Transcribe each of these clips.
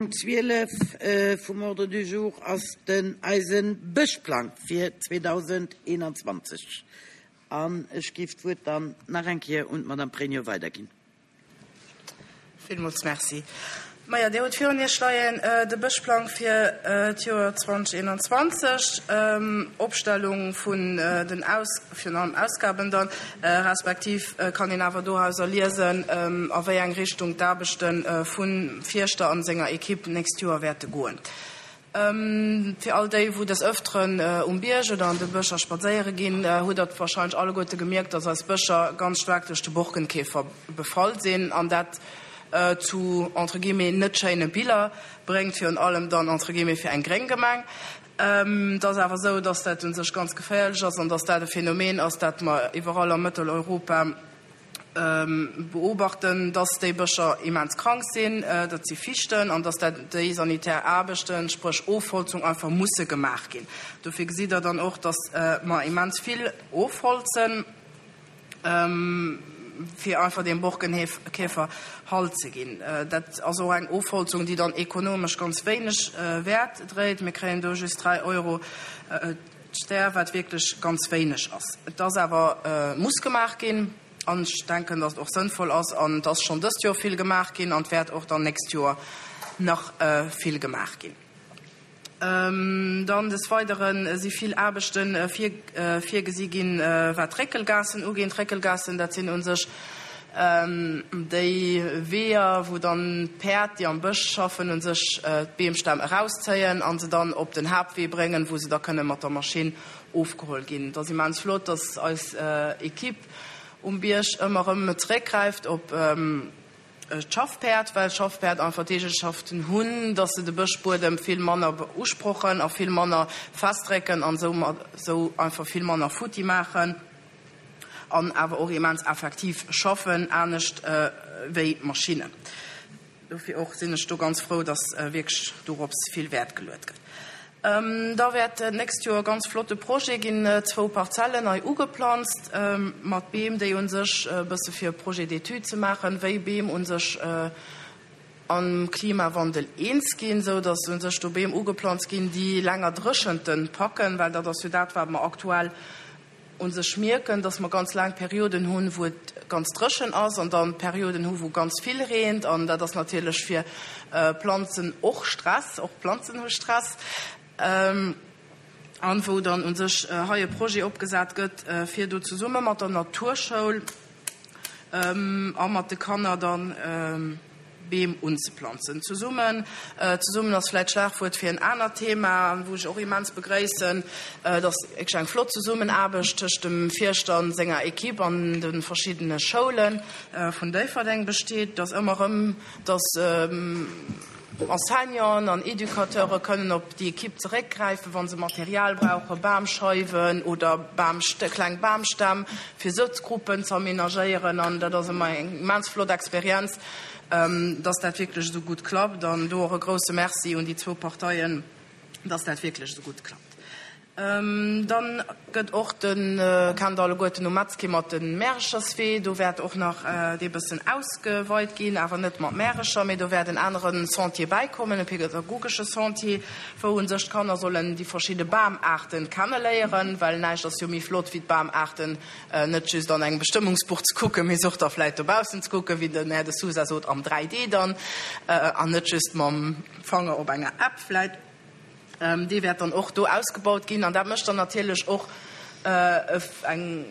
Punkt 12 vum Ordre du jour ass den eise Bëschplang fir 2021. An ech géif d'Wuert dann nach eng Kéier un d'Madame Pregno weiderginn. Villmools Merci. Majo, Dir hutt virun Iech leien de Bëschplang fir d'Joer 2021, Opstellung vun den Aus, virun allem Ausgaben dann, respektiv kann een awer dorauser liesen, a wéi eng Richtung d'Aarbechte vum Fierschter an senger Equipe d'nächst Joer wäerte goen. Fir all déi, wou des Ëfteren um Bierg oder an de Bëscher spadséiere ginn, hutt der warscheinlech alleguerte gemierkt, dass eis Bëscher ganz staark duerch de Borkenkäfer befall sinn an dat zu, entre guillemets, net schéine Biller bréngt, virun allem dann, entre guillemets, fir eng gréng Gemeng. Et ass awer esou, dass dat u sech ganz geféierlech ass an dass dat e Phänomen ass, dat mer iwwerall a Mëtteleuropa beobachten, dass déi Bëscher immens krank sinn, dat si Fichten, an dass dat déi sanitär Aarbechten, spréch Ofholzung, einfach musse gemaach ginn. Dofir gesitt Der dann och, dass mer immens vill ofholzen, fir einfach deem Borkenkäfer Halt ze ginn. Dat ass och eng Ofholzung, déi dann ekonomesch ganz wéineg Wäert dréit. Mir kréien do just 3 Euro D'Stär, wat wierklech ganz wéineg ass. Et ass awer, muss gemaach ginn an ech denken, datt et och sënnvoll ass an et ass schonn dëst Joer vill gemaach ginn an et wäert och dann nächst Joer nach vill gemaach ginn. Dann des Weidere si vill Aarbechte virgesi ginn, wat d'Réckelgaassen uginn. D'Réckelgaassen, dat sinn u sech Déi Weeër, wou dann d'Päerd, déi am Bësch schaffen, u sech d'Beemstämm erauszéien a se dann op den Haaptwee bréngen, wou se da kënne mat der Maschinn ofgeholl ginn. Et ass immens flott, dass eis Equipe um Bierg ëmmer erëm zeréckgräift op d'Schaffpäerd, well d'Schaffpäerd einfach d'Eegenschaften hunn, dass se de Bëschbuedem vill manner beusprochen a vill manner festdrécken an esou einfach vill manner futti maachen. an awer och immens effektiv schaffen, anescht wéi d'Maschinnen. Dofir och sinn ech do ganz frou, dass wierklech dorops vill Wäert geluet gëtt. Da wäert d'nächst Joer e ganz flotte Projet ginn, zwou Parzellen nei ugeplanzt mat Beem, déi u sech e bësse fir e Projet d'étude ze maachen, wéi Beem u sech am Klimawandel eens ginn, esou dass u sech do Beem ugeplanzt ginn, déi länger Dréchenten packen, well dat ass jo dat, wat mer aktuell u sech mierken, dass mer ganz laang Perioden hunn, wou et ganz dréchen ass an dann Perioden hu wou ganz vill reent an dat ass natierlech fir Planzen och Stress, och Planzen hu Stress an wou dann u sech hei e Projet opgesat gëtt, fir do zesumme mat der Naturschoul a mat de Kanner dann Beem unzeplanzen. Zesummen, zesummen ass vläit d'Schlagwuert fir en anert Thema, wou ech och immens begréissen, dass wierklech eng flott Zesummenaarbecht tëscht dem Fierschter an senger Equipe an de verschiddene Schoule vun Déifferdeng besteet, dass ëmmer erëm, dass Enseignanten an Educateure kënnen op déi Equipe zeréckgräifen, wa se Material brauchen, Bamscheiwen oder kleng Bamstämm, fir Sëtzgruppen ze amenagéieren. An dat ass ëmmer eng immens flott Experienz, dass dat wierklech esou gutt klappt. An do och e grouse Merci un déi zwou Parteien, dass dat wierklech esou gutt klappt. Dann gëtt och de, kennt alleguerten um Metzki mat de Märecherswee, do wäert och nach dee bëssen ausgeweit ginn, awer net mat Märecher, mee do wäert en anere Sentier bäikommen, e pedagogesche Sentier, wou u sech d'Kanner sollen déi verschidde Bamaarten kenneléieren, well näischt ass jo méi flott wéi d'Bamaarten net just an engem Bestëmmungsbuch ze kucken, mee se och da vläit dobaussen ze kucken, wéi den Här De Sousa sot, am 3D dann, an net just mam Fanger op enger App vläit. Dee wäert dann och do ausgebaut ginn an dat mécht dann natierlech och eng,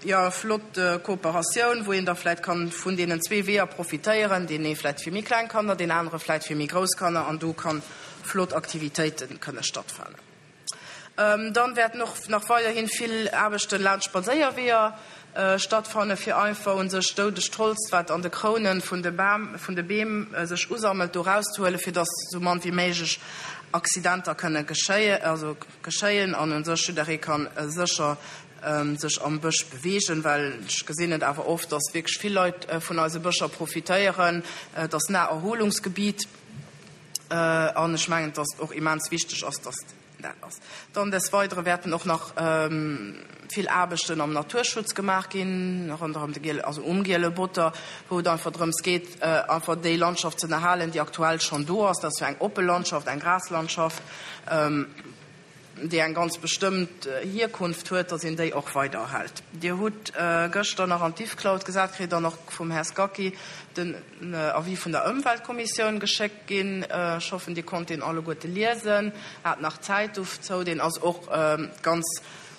jo, flott Kooperatioun, wou een da vläicht kann vun deenen zwee Weeër profitéieren, deen ee vläicht fir méi kleng Kanner, deen anere vläicht fir méi grouss Kanner an do kann flott Aktivitéite kënne stattfannen. Dann wäerten och nach weiderhin vill Aarbechten laanscht Spadséierweeër stattfannen, fir einfach un sech doudegt Holz, wat an de Krounen vun de Bam, vun de Beem sech usammelt, do rauszehuelen, fir dass sou mann wéi méiglech Accidenter kënne geschéien, also geschéien an un sech jidderee kann sécher sech am Bësch beweegen, well ech gesinn et awer oft, dass wierklech vill Leit vun eise Bëscher profitéieren. Et ass Naherholungsgebiet an ech mengen, dass et och immens wichteg ass, dass. Dat ass. Dann des Weidere wäerten och nach vill Aarbechten am Naturschutz gemaach ginn, ronderëm de Giele, also um Giele Botter, wou et einfach drëms geet, einfach déi Landschaft ze erhalen, déi aktuell schonn do ass. Dat ass jo eng oppe Landschaft, eng Graslandschaft. Déi eng ganz bestëmmt Hierkunft huet, dass een déi och weider erhält. Dir hutt gëschter nach an d'Diffcloud gesat kritt an och vum Här Scacchi den Avis vun der Ëmweltkommissioun geschéckt ginn. Ech hoffen, Dir konnt deen alleguerte liesen, hat nach Zäit dozou. Deen ass och ganz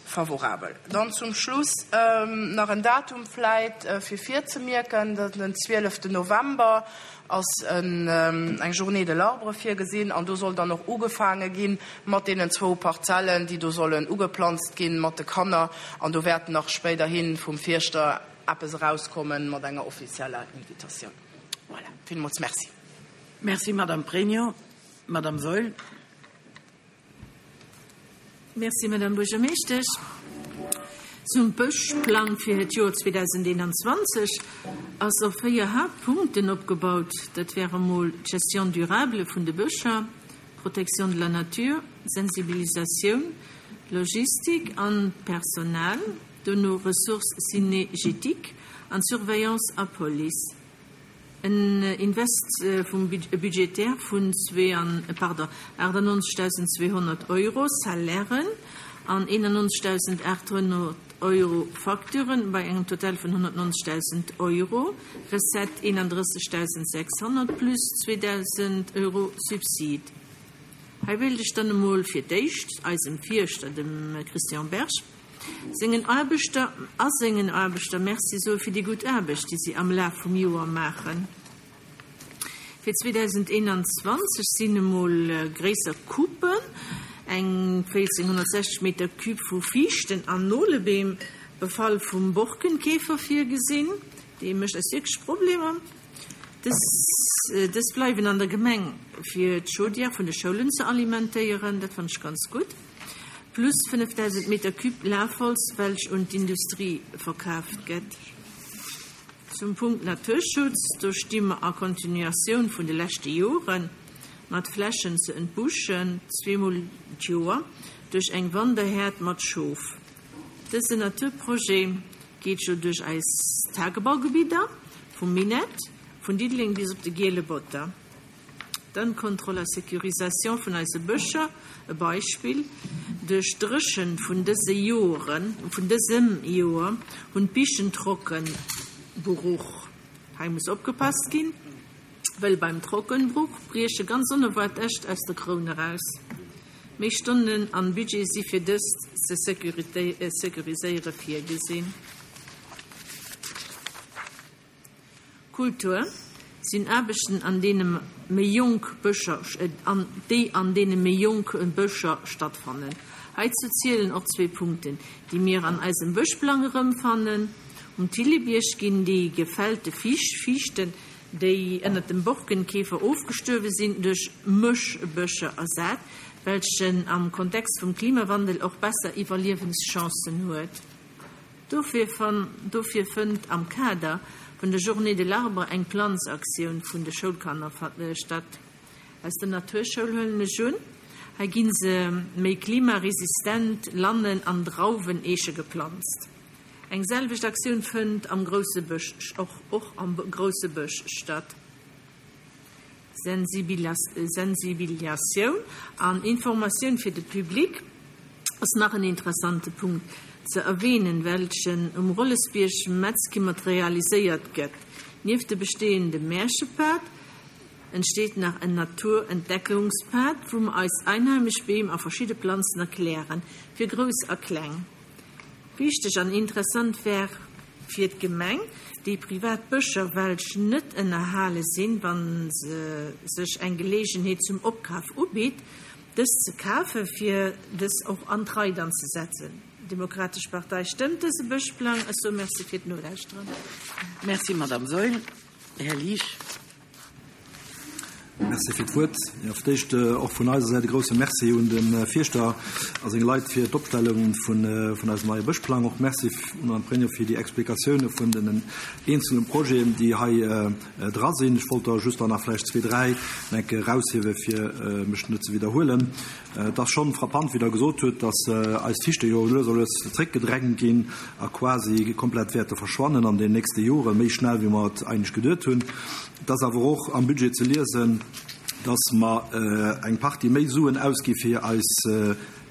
favorabel. Dann zum Schluss nach en Datum vläit fir virzemierken, Den 12 November ass eng Journée de l'arbre virgesinn an do soll dann och ugefaange gi mat deenen zwou Parzellen, déi do sollen ugeplanzt ginn, mat de Kanner. An do wäert nach spéiderhi vum Fierschter eppes erauskommen mat enger offizieller Invitatioun. Voilà, villmools Merci. Merci, Madame Pregno. Madame Saeul. Merci, Madame Buergermeeschtesch. Zum Bëschplang fir d'Joer 2021 ass op 4 Haaptpunkten opgebaut. Dat wäre mol d'Gestion durable vun de Bëscher, Protection de la nature, Sensibilisatioun, Logistik an Personal, dono Ressources cynégétiques an Surveillance a Police. En Invest vum budgétaire vun 98.200 Euro Salairen an 91.800 Euro Facturen bei engem Total vun 190.000 Euro, Recette 31.600 plus 2.000 Euro Subsid. Hei wéilt ech dann emol fir d'éischt eisem Fierschter, dem Christian Berg, Sengen Aarbechter a sengen Aarbechter Merci soe fir déi gutt Aarbecht, déi si am Laf vum Joer maachen. Fir 2021 sinn emol gréisser Coupen, eng 1460 Meter Cube vu Fiichten an Nolebeem, Befall vum Borkenkäfer virgesinn. Dee mécht eis wierklech Problemer. Dës, dës bleiwen an der Gemeng fir d'Chaudière vun de Schoulen ze alimentéieren. Dat fannen ech ganz gutt. Plus 5.000 Meter Cube Lafholz, welch un d'Industrie verkaaft gett. Zum Punkt Naturschutz, do sti mer a Continuatioun vun de leschte Joren, mat Flächen ze entbuschen, zweemol d'Joer, duerch eng Wanderhäerd mat Schof. Dësen Naturprojet geet jo duerch eis Tagebaugebidder, vum Minett, vun Diddeleng bis op de Giele Botter. Dann d'Kontroll a Sécurisation vun eise Bëscher, e Beispill, Duerch d'Dréchent vun dëse Joren, vun dësem Joer hunn d'Bichen Trockenbruch. Hei muss opgepasst ginn, wëll beim Trockenbruch brieche ganz onerwaart Äscht aus der Kroun eraus. Méi Stonnen an Budget si fir dëst ze sécuriséiere virgesinn. Kultur sinn Aarbechten an deene méi jonk Bëscher an déi an deene méi jonk Bëscher stattfannen. Heizou zielen och zwee Punkten, déi mir an eisem Bëschplang erëmfannen, Um Thillebierg ginn déi gefällte Fiichten, déi ënnert dem Borkenkäfer ofgestuerwe sinn, duerch Mëschbëscher ersat, welchen am Kontext vum Klimawandel och besser Iwwerliewenschancen huet. Dofir fënnt am Kader vun der Journée de l'arbre eng Planzaktioun vun de Schoulkanner statt. Aus der Naturschoul huelen ech un, hei gi se méi klimaresistent Lannen an Drauweneeche geplanzt. Eng selwecht Aktioun fënnt am grousse Bësch och am grousse Bësch statt. Sensibiliatioun an Informatioun fir de Public ass nach en interessante Punkt ze erwähnen, welchen um Rollesbierg Metzkimmert realiséiert gëtt. Nieft de bestehende Märchepad entsteet nach en Naturentdeckungspad, wou mer eis einheimesch Beem a verschidde Planzen erklären, fir Grouss a Kleng. Wichteg an interessant wär fir d'Gemeng, déi privat Bëscher, welch net ënnerhale sinn, wa se sech eng Geleegenheet zum Opkaf ubitt, dës ze kafe fir dës och an d'Rei dann ze setzen. D'Demokratesch Partei stëmmt dëse Bëschplang. Ech soe Merci fir d'Nolauschteren. Merci, Madame Saeul. Här Liesch. Merci fir d'Wuert. Jo, fir d'éischt och vun eiser Säit e grouse Merci un de Fierschter a seng Leit fir d'Opstellung vun eisem neie Bëschplang. Och Merci un d'Madame Pregno fir déi Explikatioune vun den eenzele Projeten, déi hei dra sinn. Ech wollt der just der nach vläicht zwee, dräi eng Kéier eraushiewen, fir mech net ze widderhuelen. Et ass schonn frappant, wéi Der gesot hutt, dass eis Fichte jo lues a lues zréckgedrängt ginn a quasi komplett wäerte verschwannen an den nächste Joren, méi schnell wéi mer et eigentlech geduet hunn. Et ass awer och am Budget ze liesen, dass mer eng Partie méi Suen ausgi fir eis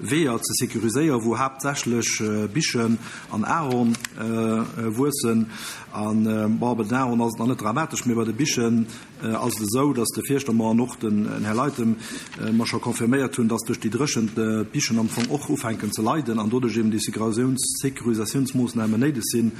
Weeër ze sécuriséieren, wou haaptsächlech Bichen an Ahorn wuessen. An, bon, bei den Ahorn ass et nach net dramatesch, mee bei de Bichen ass et esou, dass de Fierschter mer an och den Här Leithem mer scho confirméiert hunn, dass duerch déi Dréchent d'Bichen am Fong och ufänken ze leiden an doduerch eben déi Sécurisatiounsmoossnamen néideg sinn,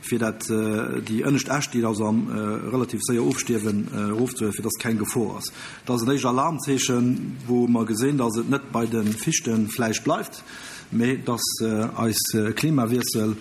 fir dat déi ënnescht Äscht, déi also am relativ séier ofstierwen, erofzehuelen, fir dass keng Gefor ass. Dat ass en éischt Alarmzeechen, wou mer gesinn, dass et net bei de Fichte vläicht bleift, mee dass eis Klimawiessel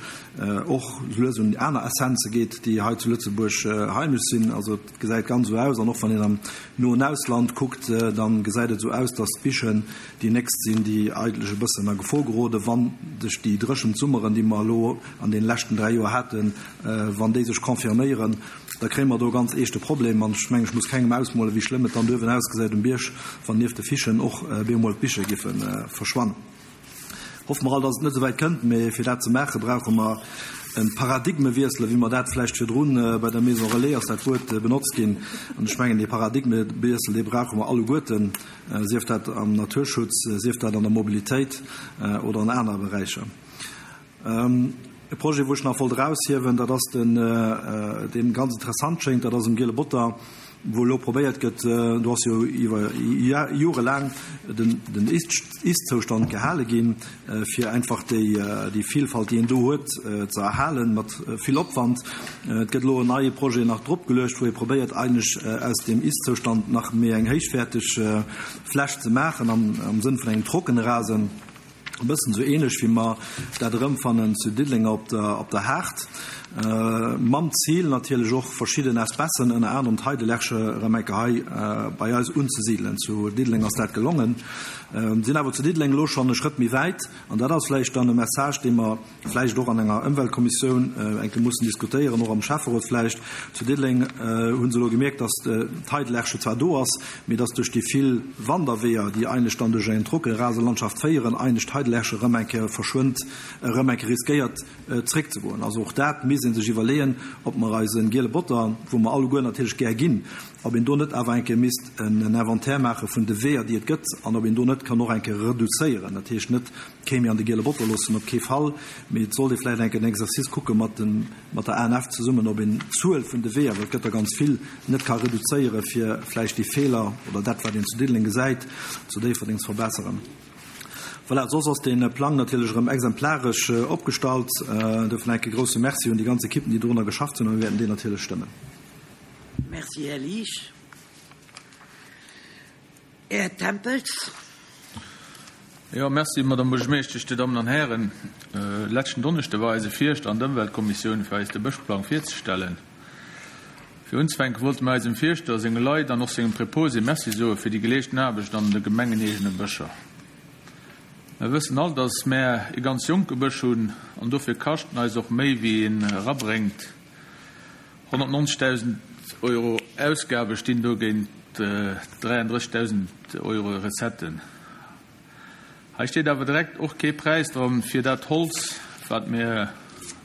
och lues un aner Essenze geet, déi hei zu Lëtzebuerg heimesch sinn. Also et gesäit ganz esou aus, an och wann een am noen Ausland kuckt, da gesäit et esou aus, dass d'Bichen déi nächst sinn, déi eigentlech e bëssen a Gefor geroden, wa sech déi dréchent Summeren, déi mer elo an deene leschten 3 Joer haten, wann déi sech confirméieren, da kréie mer do e ganz eeschte Problem. An ech mengen, ech muss kengem ausmolen, wéi schlëmm et dann duerwen ausgesäit um Bierg, wann nieft de Fichen och bemol d'Biche giffe verschwannen. Hoffe mer all, dass et net esou wäit kënnt, mee fir dat ze maachen, brauche mer e Paradigmewiessel, wéi mer dat vläicht virdrun bei der Maison Relais ass dat Wuert benotzt ginn. An ech mengen, dee Paradigmewiessel, dee brauche mer alleguerten, sief dat am Naturschutz, sief dat an der Mobilitéit oder an anere Beräicher. E Projet, wou ech nach wollt eraushiewen, dat ass den, dee ganz interessant schéngt, dat ass um Giele Botter, wou elo probéiert gëtt, do ass jo iwwer jorelaang den Ist-Zoustand gehale ginn, fir einfach déi Vielfalt, déi een do huet, ze erhalen, mat vill Opwand. Et gëtt elo en neie Projet nach dropgeluecht, wou ee probéiert eigentlech aus deem Ist-Zoustand nach méi eng héichwäerteg Fläch ze maachen, am Sënn vun engem Trockenrasen. E bëssen esou ähnlech wéi mer dat erëmfannen zu Diddeleng op der, op der Haard, mam Zil natierlech och verschidden Espècen, ënner anerem d'Heidelerche erëm eng Kéier hei bei eis unzesidelen. Zu Diddeleng ass dat gelongen, sinn awer zu Diddeleng elo schonn e Schrëtt méi wäit, an dat ass vläicht dann e Message, dee mer vläicht och an enger Ëmweltkommissioun eng Kéier mussen diskutéieren, och am Schäfferot vläicht. Zu Diddeleng hu se elo gemierkt, datt d'Heidelerche zwar do ass, mee datt duerch déi vill Wanderweeër, déi eigentlech dann duerch eng Trockenraselandschaft féieren, eigentlech d'Heidelerche erëm eng Kéier verschwënnt, erëm eng Kéier riskéiert zréckzegoen. Also och dat misst ee sech iwwerleeën, ob mer eise giele Botter, wou mer alleguer natierlech gär ginn, ob een do net awer eng Kéier misst en Inventaire maache vun de Weeër, déi et gëtt, an ob een do net kann och eng Kéier reduzéieren. Dat heescht net, Kee méi an de giele Botter loossen, op kee Fall, mee et sollt ee vläicht enk en Exercice kucke mat de, mat der ANF zesummen, ob een d'Zuel vun de Weeër, well et gëtt der ganz vill, net ka reduzéiere fir vläicht déi Feeler oder dat, wat een zu Diddeleng gesäit, zu Déifferdeng ze verbesseren. Voilà, soss ass dee Plang natierlech erëm exemplaresch opgestallt. Dofir enk e grouse Merci un déi ganz Ekippen, déi dorunner geschafft hunn, a mir wäerten deen natierlech stëmmen. Merci, Här Liesch. Här Tempels. Jo, merci, Madame Buergermeeschtesch, Dir Dammen an Hären. Leschten Donneschde war eise Fierschter an d'Ëmweltkommissioun, fir eis de Bëschplang virzestellen. Fir unzefänke wollte mir eisem Fierschter, senge Leit an och sengem Preposé Merci soe fir déi geleeschten Aarbecht an de gemengeneegene Bëscher. Mer wëssen all, dass mär e ganz jonke Bësch hunn an dofir kascht en eis och méi wéi en erabréngt. 190.000 Euro Ausgabe stinn dogéint 33.000 Euro Recetten. Hei steet awer direkt och kee Präis dran fir dat Holz, wat mir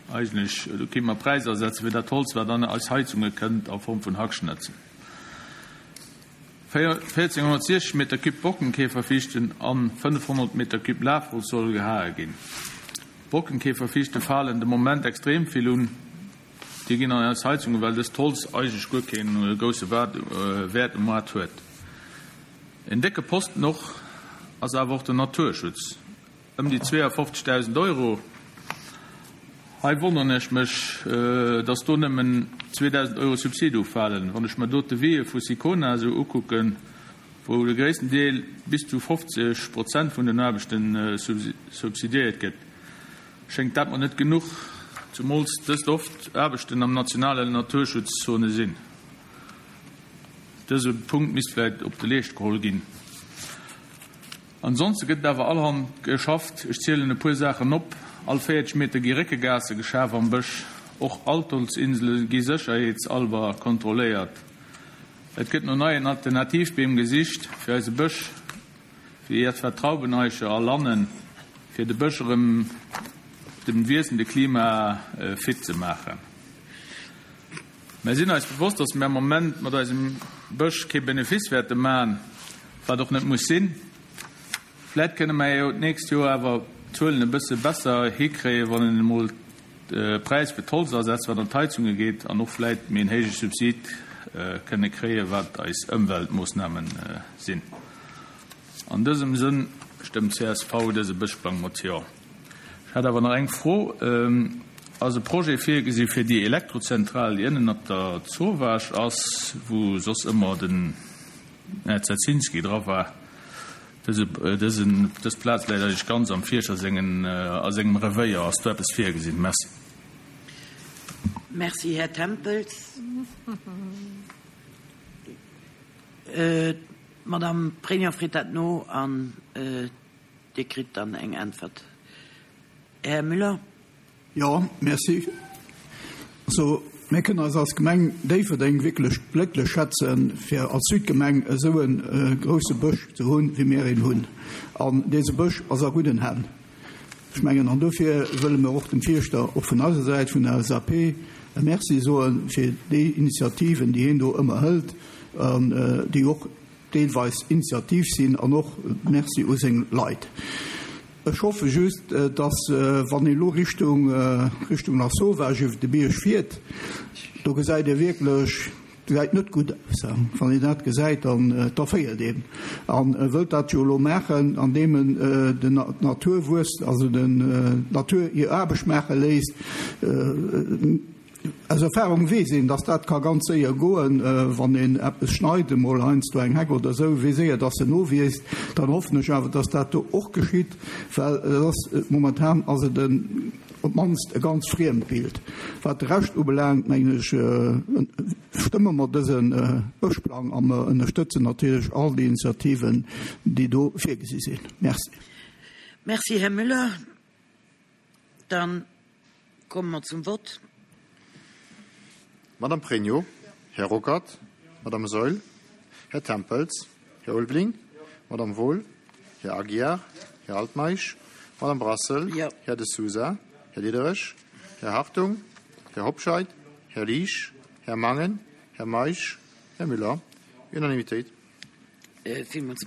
eigentlech, do kéinte mer Präisser setzen fir dat Holz, wat an eis Heizunge kënnt a Form vun Hackschnëtzel. 1460 Meter Cube Borkenkäferfichten an 500 Meter Cube Lafholz solle gehae ginn. D'Borkenkäferfichte falen de Moment extrem vill un. Déi ginn an eis Heizungen, well dëst Holz eigentlech guer kee grousse Wäert um Moart huet. En décke Posten och ass awer och den Naturschutz, ëm déi 52.000 Euro. Hei wonneren ech mech, dass do nëmmen 2.000 Euro Subsid ufalen. Wann ech mer do d'Devisë vu Sicona esou ukucken, wou de gréissten Deel bis zu 50 Prozent vun den Aarbechte subsidiéiert gëtt, Schéngt dat mer net genuch, zumools dëst oft Aarbechten am nationalen Naturschutzzone sinn. Dëse Punkt misst vläit op de Leescht geholl ginn. Ansonste gëtt et awer allerhand geschafft. Ech zielen e puer Saachen op, All 40 Meter gi Réckegaasse geschaf am Bësch. Och Altholzinsele gi sécherheetsalber kontrolléiert. Et gëtt no neien Alternativbeem gesicht fir eise Bësch, wéi etwa Traubeneiche a Lannen, fir de Bësch erëm dem wiessende Klima fit ze maachen. Mär sinn eis bewosst, dass mär am Moment mat eisem Bësch kee Benefice wäerte man, wat och net muss sinn. Vläit kënne mär jo d'nächst Joer awer d'Zuelen e bësse besser hikréien, wann een emol de Präis fir d'Holz ersetzt, wat an d'Heizunge geet, an och vläit méi en héije Subsid kënne kréien, wat eis Ëmweltmoossname sinn. An dësem Sënn stëmmt csv dëse Bëschplang mat Jo. Ech hätt awer nach eng Fro, Ass e Projet virgesi fir déi Elektrozentral, déi ënnen op der Zowaasch ass, wou soss ëmmer den Här Zezinski dra war? Dëse, dësen, dës Plaz läit eigentlech ganz am Fierschter sengen, a sengem Revéier. Ass do eppes virgesinn? Merci. Merci, Här Tempels. D'Madame Pregno freet dat no an. Dir kritt dann eng Äntwert. Här Müller. Jo, merci. Also, mir kënnen eis als Gemeng Déifferdeng wierklech glécklech schätzen, fir als Südgemeng esou e grouse Bësch ze hunn, wéi mir een hunn. An dese Bësch ass a gudden Hänn. Ech mengen, an dofir wëlle mir och dem Fierschter och vun eiser Säit, vun der LSAP, e Merci soe fir déi Initiativen, déi hien do ëmmer hëlt an déi och deelweis initiativ sinn an och Merci u seng Leit. Ech hoffe just, dass, wann een elo Richtung, Richtung Lasauvage iwwer de Bierg fiert, do gesäit ee wierklech, gesäit net gutt aus. Wann een dat gesäit, dann, da féiert een an e wëllt dat jo elo maachen, andeem en den d'Natur wuess, also den d'Natur hir Aarbecht maache léisst. Aus Erfahrung weess een, dass dat ka ganz séier goen, wann een eppes schneit, emol heiansdo eng Heck oder esou, wéi séier dass se nowiisst. Dann hoffen ech awer, dass dat do och geschitt, well et ass, momentan ass et en, op d'mannst e ganz friemt Bild. Wat de Rescht ubelaangt, mengen ech, stëmme mer dëse Bëschplang a mer ënnerstëtzen natierlech all déi Initiativen, déi do virgesi sinn. Merci. Merci, Här Müller. Dann komme mer zum Vott. Madame Pregno, Här Ruckert, Madame Saeul, Här Tempels, Här Ulveling, Madame Wohl, Här Aguiar, Här Altmeisch, Madame Brassel, Här De Sousa, Här Diderich, Här Hartung, Här Hobscheit, Här Liesch, Här Mangen, Här Meisch, Här Müller. Unanimitéit. Villmools.